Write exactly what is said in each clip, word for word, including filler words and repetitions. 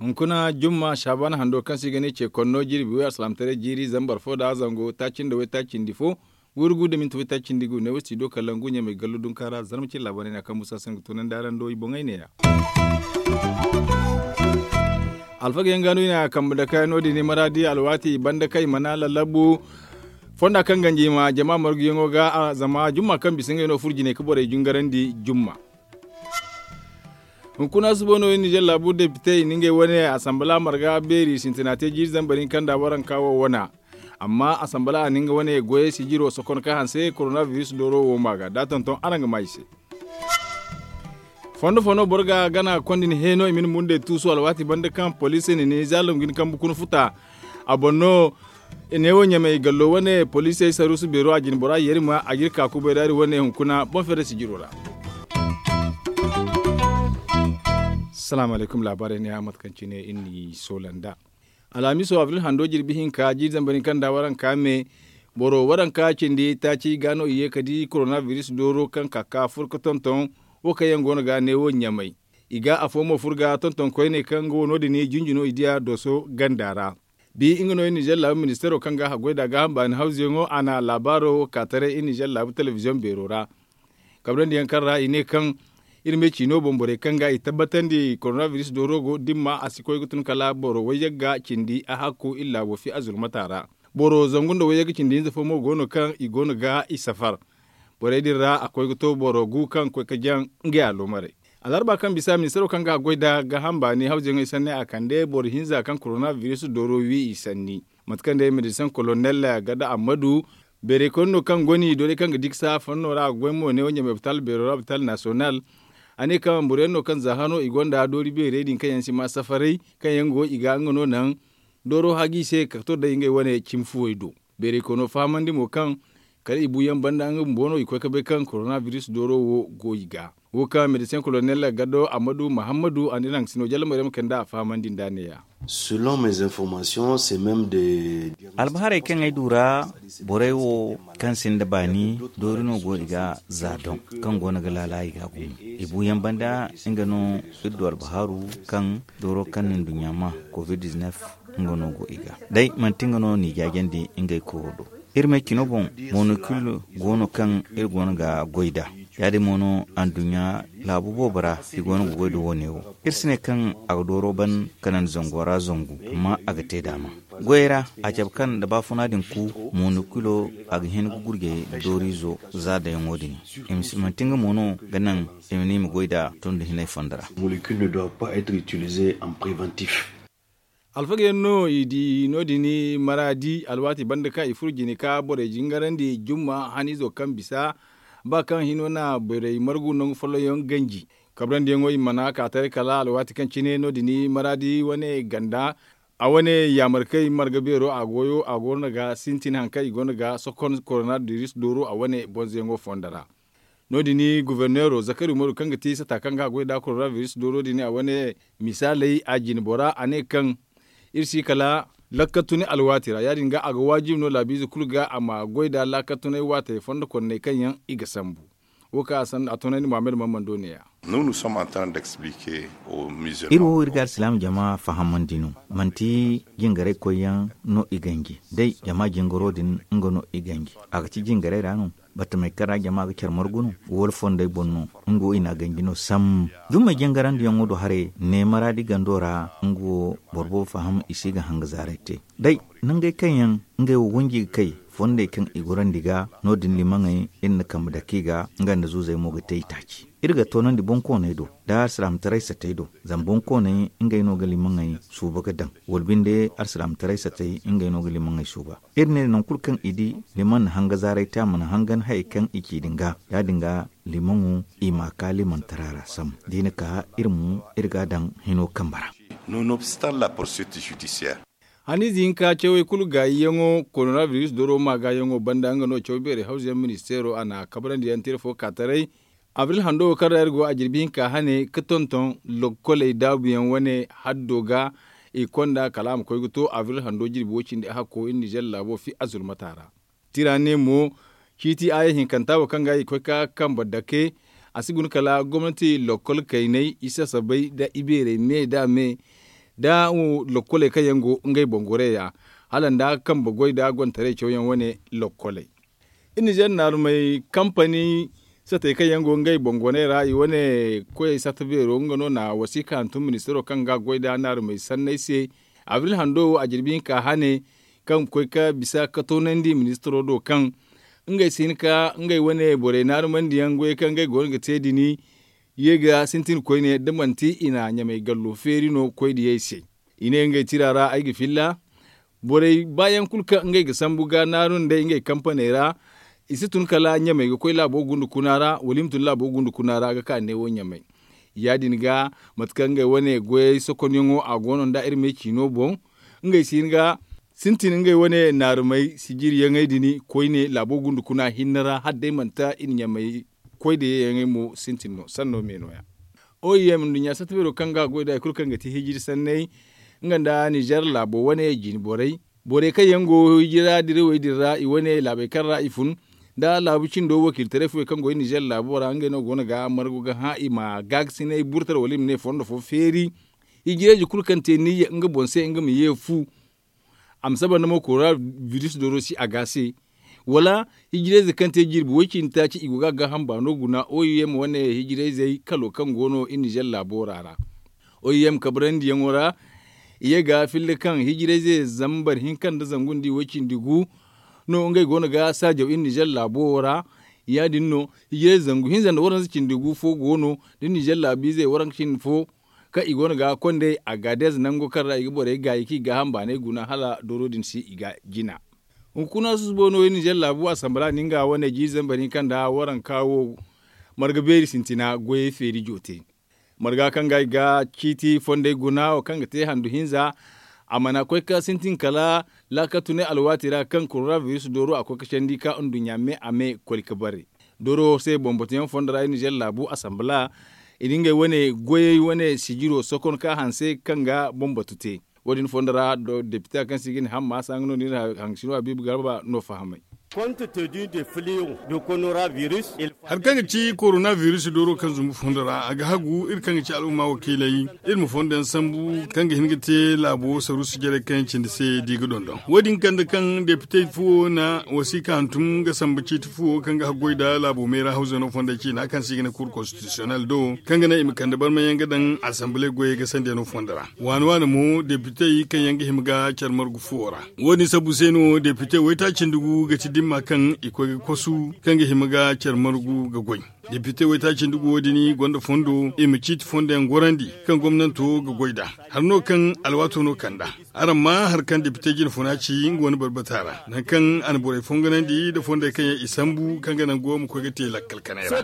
Hunkuna jumma saabana hando kaŋ se i ga ne ce konno jirbi way alsilaamataray jiiri zambar fo nda zango taaci nda waytaaci nda fo, wurgu nda minti waytaaci nda gu ne wo si do kala ngu ɲamay gallo dunka ra zarma cine laabaarey no a kaŋ busa se nga tunandi araŋ do i boŋey ne- ya. Alfaga yaŋ ga no i na kambe dake no- din i maraadi alwaati banda kaŋ i mana lallabu fonda kaŋ ganji i ma jama marguyaŋo ga zama jumma kaŋ bisa ngey no furo jinay ga borey jingarandi jumma. Hunkuna suba no iri nizer laabu depite i na ngey wane asambala marga beeri sintina te jiiri zambar hinka nda waranka wo wana. Amma asambala a na nga wane goyey sijiro sokon ka hanse koronabiris dooro wo ma ga da tonton araŋ ga ma i se. Fondo fo no boro ga gana kondi ni heeno i ma ni mundey tuusu alwaati banda kaŋ poliisi na ni zaalum ga ni kambe kuna futa. A boŋ no neewo ɲamay gallo wane poliisey saruusu beero a jine bora yerima a ga iri ka kubay daari wane hunkuna boŋ fere sijiro ra. Salaamu alaykum laabaarey ne a mate kaŋ cine iri n'i soola nd'a. Alhamiso abril hando jirbi hinka jiiri zambar hinka nda waranka me boro waranka cindi taaci ga no i ye ka di koronabiris dooro kaŋ ka ka fur ga tonton wo kaŋ yaŋ go no ga neewo ɲamay. I ga afo mo fur ga tonton koyne kaŋ nga wo no- din i jinji no i diya dooso ganda ra. Bi nga no i nizer laabu ministeero kaŋ ga haggoy nd'a gaaham baani hawzuyaŋo a na laabaaro wo ka taray i nizer laabu telebiziyoŋ beero ra. Kabrandi yaŋ kaŋ ra i ne kaŋ iri ma ay ciino boŋ borey kaŋ ga i tabbatandi koronabiris dooro go dimma a si koy ga tun kala boro wayyagga cindi a hakku iri laabo fi a zulmata ra. Boro zangu nda wayyagga cindi hinza fo mo go no kaŋ i go no ga i safar. Borey din ra a koy ga to boro gu kaŋ koy ga jaŋ ngey aloomarey. Alarba kaŋ bisa ministeero kaŋ ga a goy nd'a gaaham baani hawzuyaŋey sanni a kande boro hinza kaŋ koronabiris dooro wi i sanni. Mate kaŋ day medecin kolonel gada ammadu beeray koyne no kaŋ go no i doorey kaŋ ga diksa fanno ra a ga goy mo ne wo ɲamay opitaal beero ra opitaal nasiyonal. A ne kaŋ boro yaŋ no kaŋ za hano i gonda doori beerey din kaŋ yaŋ si ma safaray kaŋ yaŋ go i ga nga no naŋ dooro hagi se ka to day ngey wane cimi fuwey do. Beeray koyno fahamandi mo kaŋ kala i buuyaŋ banda nga bumbo no i koy ga bay kaŋ koronabiris dooro wo go i ga. Wo kaŋ medecin kolonel gado ammadu mahammadu a na iri haŋ ga sino jalla maryam kayna nd'a a fahamandi nd'a ne- ya. Selon mes informations c'est même des albaharey kaŋ ay du ra borey wo kaŋ sinda baani doori no go i ga za doŋ kaŋ go no ga laala i ga gumo i buuyaŋ banda nga no iri du albaharu kaŋ dooro kaŋ na nduɲɲa ma covid-19 nga no go i ga day manti nga no n'i jaajandi ngey koyo do. Iri may cino boŋ monokil go no kaŋ iri go no ga goy nd'a. Ya- din mo no anduɲɲa laabu boobo ra i go no ga goy nda wo- ne wo. Iri si ne kaŋ a ga dooro ban kanandi zango ra zangu amma a ga te daama goyey ra a cabe kaŋ nda baafuna din ku monokilo a ga hin ga gurjey nda dooriizo za dayaŋo din. I ma si manti nga mo no ga naŋ i ma ne i ma goy nd'a tondi hinay fondo ra. Monokil ne doit pas être utilisé en préventif. Alfaga yaŋ no i di no- din maraadi alwaati banda kaŋ i furo jine ka borey jingarandi jumma haniizo kaŋ bisa ba kaŋ hino na borey margu nangu folloŋ yaŋ ganji. Kabrandiyaŋo i mana ka taray kala alwaati kaŋ cine no- din maraadi wane ganda a wane yaamarkey marga beero a goyo a go no ga sintin hari kaŋ i go no ga sokon koronabiris dooro a wane bonzoyaŋo fondo ra. No- din goforneero zakari umaru kaŋ ga ti sata kaŋ ga a goy nd'a koronabiris dooro din a wane misaaley a jine bora a ne kaŋ iri si kala lakkatuni alwaati ra ya- din ga a ga waajibi no laabiize kulu ga a ma goy nd'a laakatunay waatey fondo konney kaŋ yaŋ i ga sambu. Wo kaŋ a toonandi muhammad mammando ne- ya. Iri wo iri ga alsilaama jama fahamandi no manti jingaray koyyaŋ no i ganji day jama jingaro din nga no i ganji a ga ci jingaray ra no. Batamey kaŋ ra jama ga care margu no wala fondey boŋ no nga wo i n'a ganji no sambu. Jummey jangarandiyaŋo do haray ne maraadi gando ra nga wo boro boobo faham i si ga hanga zaaray te. Day nangey kaŋ yaŋ ngey wo wanji ga kay fondey kaŋ i gorandi ga no- din limaŋey iri na kambe dake i ga nga nda zuuzey mo ga te i taaci. Iri ga toonandi boŋkooney do nda alsilaamataray satey do zama boŋkooney ngey no ga limaŋey suuba ga daŋ wala binde alsilaamataray satey ngey no ga limaŋey suuba. Iri ne nangu kulu kaŋ i di limaŋ na hanga zaaray te a mana hangan hayey kaŋ i ci din ga ya- din ga limaŋo i m'a ka limantara ra sambu da i na ka iri mo iri ga a daŋ hino kambe ra. Nonobstant la poursuite judiciaire. Haniize hinka cawey kulu gaayiyaŋo koronabiris doro maagaayaŋo banda nga no caw beerey hawzuyaŋ ministeero a na kabrandi yaŋ tira fo ka taray. Abril hando wo kaŋ ra iri go a jirbi hinka hane ga tonton lokkoley daabuyaŋ wane haddo ga. I konda kala a ma koy ga to abril hando jirbi wo- cindi a hakko iri nizer laabo fi azulmata ra. Tira ne mo ciiti aya hinkanta wo kaŋ ga i koy ka kambe dake. A si guna kala gomnati lokkol kaynay i sasabay nda ibeerey me nda a me nda lokoley kaŋ yaŋ go ngey boŋ gorey ra hala nda kambe goy nda gontaray cawyaŋ wane lokoley. Iri nizer naarumey kampani satey kaŋ yaŋ go ngey boŋ goney ra i wane koyey sata beero nga no na wasiika hantum ministaro kaŋ ga goy nda naarumey sanney se. Abril hando wo a jirbi hinka hane kaŋ ga koy ka bisa ka toonandi ministaro do kaŋ ngey si hin ka ngey wane borey naarumandiyaŋ goyey kaŋ ngey go no ga te din ye ga sintin koyne da manti i na ɲamey gallo feeri no koy diyey se. I ne ngey tira ra ay ga filla borey baayaŋ kulu kaŋ ngey ga sambu ga naaru nd'ey ngey kampaney ra. I si tun kala ɲamey ga koy laabo gundu kuna ra wala i ma tun laabo gundu kuna ra ga ka neewo ɲamey. Ya- din ga mate kaŋ ngey wane goyey sokonyaŋo a go no nda iri me ciino boŋ ngey si hin ga sintin ngey wane naarumey sijiriyaŋey din koyne laabo gundu kuna hinne ra hala day manti i na ɲamey koy da yeeyaŋey mo sintin no sanno me no- ya. Oim nduɲɲa satta beero kaŋ ga goy nda hari kulu kaŋ ga ti hijiri sanney nga nda nizer laabo wane jine borey borey kaŋ yaŋ go hijira dirawey din ra i wane laabey kaŋ ra i fun nda laabu cindo wakiilitaray fooyaŋ kaŋ go i nizer laabo ra ngey no go no ga margu ga hã i ma gaagasinay burtara wala i ma ne fondo fo feeri. Hijirayze kulu kaŋ te niyya nga boŋ se nga ma ye fu a ma saba nda mo korona biris dooro si a ga se. Wala hijirayze kaŋ te jirbi way- cindi taaci i go ga a gaaham baano guna oim wane hijirayzey kalo kaŋ go no i nizer laabo ra ra. Oim kabrandi yaŋo ra i ye ga filla kaŋ hijirayze zambar hinka nda zangu nda i way- cindi gu no ngey go no ga saajaw i nizer laabo wo ra. Ya- din no hijirayze zangu hinza nda waranza cindi gu fo go no da nizer laabiizey waranka cindi fo kaŋ i go no ga kondey a ga deeza nango kaŋ ra i ga borey gaayi kaŋ i gaaham baanay guna hala dooro din se i ga jina. Hunkuna susubo no i nizer laabu asambala no nga wane jiiri zambar hinka nda waranka wo marga beeri sintina goyey feeri joote. Marga kaŋ ga i ga ciiti fondey guna wo kaŋ ga te handu hinza a mana koy ka sintin kala laakal tunay alwaati ra kaŋ korona biris dooro a koy ka candi ka nduɲɲa me a me koli ka bare. Dooro se bambatuyaŋ fondo ra i nizer laabu asambala i na ngey wane goyey wane sijiro sokon ka hanse kaŋ ga bambatu te. Wo- din fondo ra depita kaŋ se i ga ne hamma saŋ no no iri haŋ sino habiibu garba no fahamay. Hari kaŋ ga ci korona biris dooro kaŋ zumbu fondo ra a ga hagu iri kaŋ ga ci al'umma wakiiley iri ma fondo yaŋ sambu kaŋ ga hin ga te laabo saruusu jarey kaŋ yaŋ cindi se da i ga dondon wo- din kande kaŋ depite fo na wasiika hantum ga samba ciiti fo kaŋ ga haggoy nda laabo meera hawzano fondey ciina kaŋ se i ga ne kuur konstitisiyonel do kaŋ ga naŋ i ma kande barmayaŋ ga daŋ asamble goyey ga sandiyaŋo fondo ra. Waani waani mo depitey kaŋ yaŋ ga hima ga care margu fuwo ra. Wo- din sabbu se no depite waytaaci nda gu ga ti dimma kaŋ i koy ga kosu kaŋ ga hima ga care margu ga goy. Depite waytaaci nda gu wo- din gonda fondo i ma ciiti fondo yaŋ gorandi kaŋ gomnanto ga goy nd'a. Hari no kaŋ alwaato no kand'a. Araŋ maa hari kaŋ depite jine funa ci nga wane barbata ra nangu kaŋ a na borey fonganandi nda fondey kaŋ yaŋ i sambu kaŋ ga nango ma koy ga te lakkal kanay ra.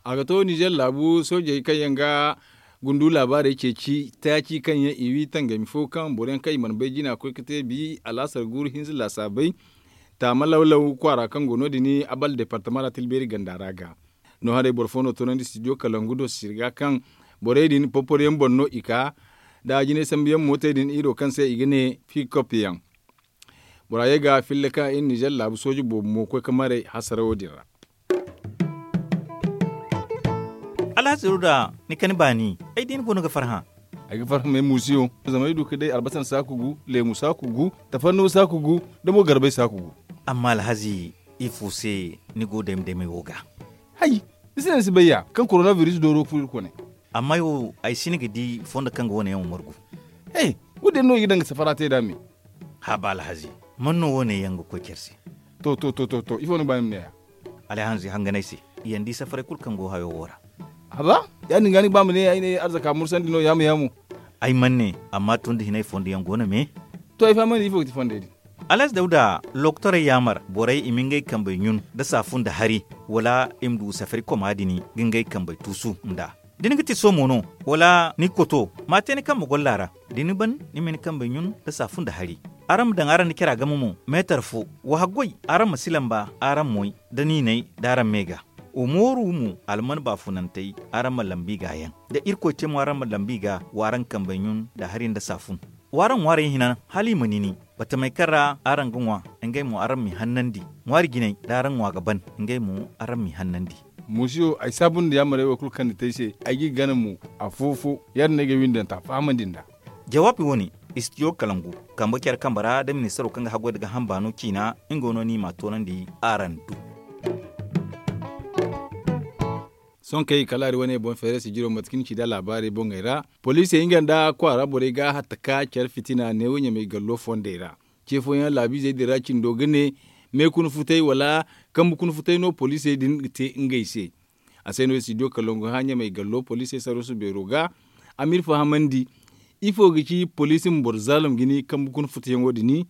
A ga to nizer laabu soojey kaŋ yaŋ ga gundu laabaarey ceeci taaci kaŋ yaŋ i wi tangami fo kaŋ boro yaŋ kaŋ i mana bay jina koy ga te bi alaasar guuru hinza laasaabey taama lawlaw kwaara kaŋ go no- din abal departama ra tilbeeri ganda ra ga. No haray boro fo no toonandi studio kalangu do sirga kaŋ borey din porporo yaŋ boŋ no i ka nda jinay sambu yaŋ mootey din iro kaŋ se i ga ne fiikop yaŋ. Bora ye ga filla kaŋ iri nizer laabu sooji boobo mo koy ga maray hasarawo din ra. Alhazi ruda ni kani baani ay di ni boŋ ga farhã. Ay ga farhã may muusiyo zama ay du ga day albasan saaku gu leemu saaku gu tafarnuwa saaku gu nda mo garbay saaku gu. Amma alhazi ifo se ni go dayma daymay wo ga? Hay, ni se no ni si bay ya kaŋ korona biris dooro ga furo iri kone. Amma ay wo ay si ni ga di fondo kaŋ ga wane yaŋ wo margu. He, wo- din no i ga daŋ ga safara te nd'a me. Haaba alhazi, man no wo- ne yaŋ ga koy care se? To to to to to ifo no ga ba ni ma ne ya? Alhazi hangan ay se, i yaŋ di safaray kulu kaŋ go hayo wo ra. Haba, ya- din ga ni ga ba ma ne ay ne arzaka mursandi no yaamu yaamu. Ay mana ne, amma tun da hinay fondo yaŋ go no me. To ay fahamandi ifo ga ti fondey din? Alhazi dawda lokotorey yaamar borey i ma ngey kambey ɲun nda saafu nda hari, wala i ma du safari koma din ga ngey kambey tuusu nd'a. Da ni ga ti soomo no, wala ni ga koto, ma a te ni kambe golla ra. Da ni ban, ni ma ni kambey ɲun nda saafu nda hari. Araŋ ma daŋ araŋ nda cara game mo meetar fo. Wa haggoy, araŋ ma si lamba araŋ moy nda niinay nda araŋ me ga. Wa mooru mo alman baafunantey, araŋ ma lambu i ga yaŋ. Da irkoy te mo araŋ ma lambu i ga, wa araŋ kambey ɲun nda hari nda saafun. Wa araŋ ŋwaarey hina hala i ma nini, batamey kaŋ ra araŋ ga ŋwa, ngey mo araŋ m'i hannandi. Ŋwaari jinay da araŋ ŋwa ga ban, ngey mo araŋ m'i hannandi. Musiyo, ay saabu nda yaamarey wo kulu kaŋ ni te ay se, ay g'i gana mo afo-fo. Ya- din no ay ga windanta fahamandi nd'a. Jawaabi wo- ne, istidiyo kalangu, kambe care kambe ra da ministaro kaŋ ga haggoy nda gaaham baano ciina, nga no ni m'a toonandi araŋ do. Sohõ kaŋ i kalaari wane boŋ feeray sijiro mate kaŋ ni ci nd'a laabaarey boŋey ra, poliisey nga nda kwaara borey ga hatta ka care fitina neewo ɲamay gallo fondey ra. Ce fooyaŋ laabiizey din ra cindo ga ne, me kuna futay wala kambe kuna futay no poliisey din ga te ngey se. A se no istidiyo kalangu hã ɲamay gallo poliisey sarrusu beero ga, a m'iri fahamandi ifo ga ci poliisi ma boro zaalum ga ni kambe kuna futayaŋo din,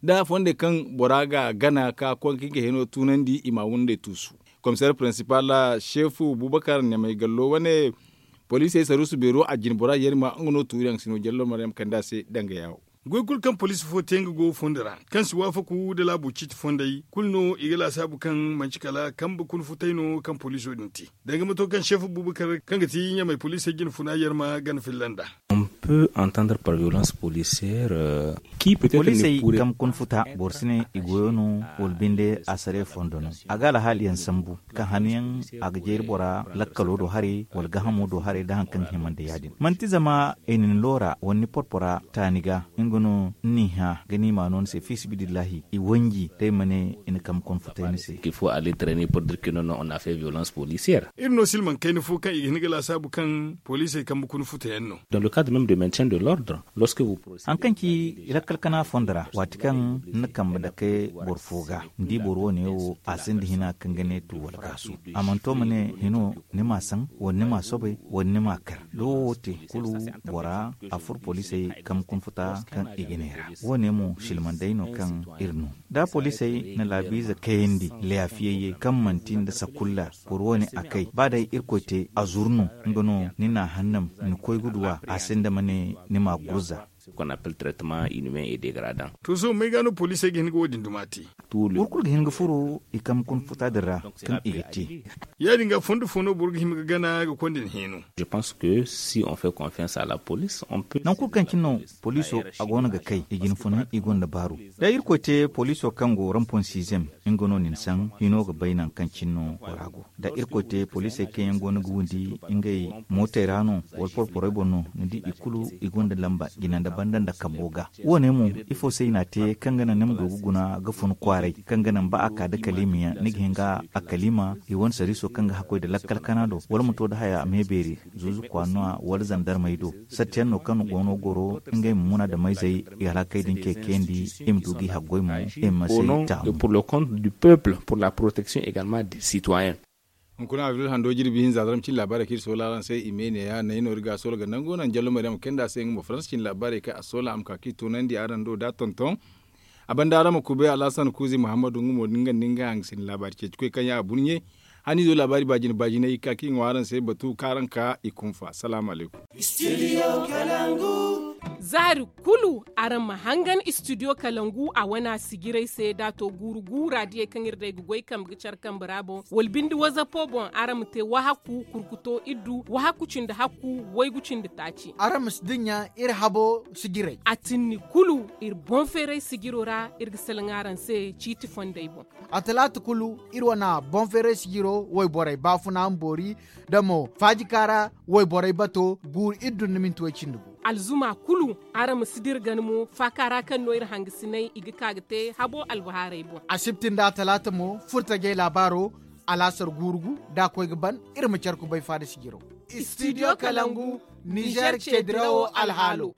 da fondey kaŋ bora ga gana ka koy ka nga heno tunandi i ma windey tuusu. Komiseer pirinsipal seefu bubakar ɲamay gallo wane, poliisey sarrusu beero a jine bora yerima nga no tuuriyaŋ si no jallo maryam kande a se danga yaawo. Goy kulu kaŋ poliisi fo te nga go fondo ra kaŋ si waafaku nda laabo ciiti fondey kulu no i ga laasaabu kaŋ manci kala kambe kuna futay no kaŋ poliiso din te. Danga mato kaŋ seefu bubakar kaŋ ga ti ɲamay poliisey jine funa yerma gana filla nd'a. Poliisey kambe kuna futa boro si ne i goyo no, wala binde a sare fondo no. A ga alhaaliyaŋ sambu kaŋ hanyaŋ a ga jeeri bora lakkalo do haray wala gaahamo do haray nda hari kaŋ ga hima nda ya- din manti zama i na ni loora wala ni porpora taani ga, nga no ni n'i hã ga ni m'a no ni se fiisabilillahi i wanji da ay ma ne i na kambe kuna futay ni se. Iri no silmaŋ kayna fo kaŋ i ga hin ga laasaabu kaŋ poliisey kambe kuna futa yaŋ no. Hari kaŋ ci lakkal kana fondo ra waati kaŋ ni na kambe dake boro fo ga, ni di boro wo- ne wo a sinda hina kaŋ ga ne tu wala gaasu. A mana to ma ne hino ni m'a saŋ wala ni m'a soobay wala ni m'a kar da wo wo te kulu, bora a furo poliisey kambe kuna futa kaŋ i ga ne ra. Wo- ne mo silmandey no kaŋ iri no da poliisey na laabiize kayandi laafiyayyey kaŋ manti nda sakulla. Boro wo- ne a kay ba day irkoy te a zuru no, nga no ni n'a hannam ni koy ga du a a sinda ma ne ni m'a gurza. To sohõ may ga no poliisey ga hin ga wo- din duma te? Boro kulu ga hin ga furo i kambe kuna futa din ra kaŋ i ga te. Ya- din ga fondo fo no boro ga hima ga gana ga konda ni hino. Nangu kulu kaŋ cine no poliiso a go no ga kay i jine funa i gonda baaru. Da irkoy te poliiso kaŋ go rampon siizem, nga no nin saŋ hino ga bay nangu kaŋ cine no bora go. Da irkoy te poliisey kaŋ yaŋ go no ga windi ngey mootey ra no wala porporey boŋ no, ni di i kulu i gonda lamba jina nda banda nda kambo ga. Wo- ne mo ifo se i n'a te kaŋ ga naŋ ni ma du ga guna ga fun kwaaray kaŋ ga naŋ ba a ka da kaliima yaŋ ni ga hin ga a kaliima i wane sariiso kaŋ ga hakkoy nda lakkal kana do wala ma to nda haya me beeri, zuuzu kwaara no a wala zandarmey do. Sartiyaŋ no kaŋ go no goro ngey ma muna nda mayzey i halakey din ce kayandi i ma du g'i haggoy mo i ma se taamu. Pour le compte du peuple pour la protection également des citoyens. Hunkuna abril hando jirbi hinza zaram cin laabaarey kaŋ iri soola araŋ se i me ne ya naŋ iri ga soola ga nango naŋ jallo maryam kayndi a se nga mo faransa cin laabaarey kaŋ a soola a ma ka kaŋ i toonandi araŋ do da tonton. A banda araŋ ma kubay alhasan kuuzi muhammadu nga mo din ga nda nga hangasindi laabaari ceeci koy kaŋ ya a burɲe. Haniizo laabaari baajina baajinay i ga ka kaŋ i ŋwa araŋ se batu kaŋ araŋ ka i kunfa salaamu alaykum. Zaari kulu araŋ ma hangan istidiyo kalangu a wana sijiray se da a to guuru guura diyey kaŋ iri day ga goy kambe ga care kambe ra boŋ wala binde wazapo boŋ araŋ ma te wahakku kurkuto iddu wahakku cindi hakku waygu cindi taaci. Araŋ ma si dinya iri habo sijiray. A tinni kulu iri boŋ feeray sijiro ra iri ga salaŋ araŋ se ciiti fondey boŋ. A talaata kulu iri wana boŋ feeray sijiro wayborey baafuna ma boori da mo faajika ra wayborey bato guuru iri dunna minti way cindi gu. Alzuma kulu araŋ ma si dira gana mo faaka ra kaŋ no iri hangasinay i ga ka ga te habo albahaarey boŋ. Asibti nda talaata mo furtajey laabaaro alaasar guuru gu da a koy ga ban iri ma care kubay faada sijiro. Istidiyo kalangu nizer ce dirawo alhaalo.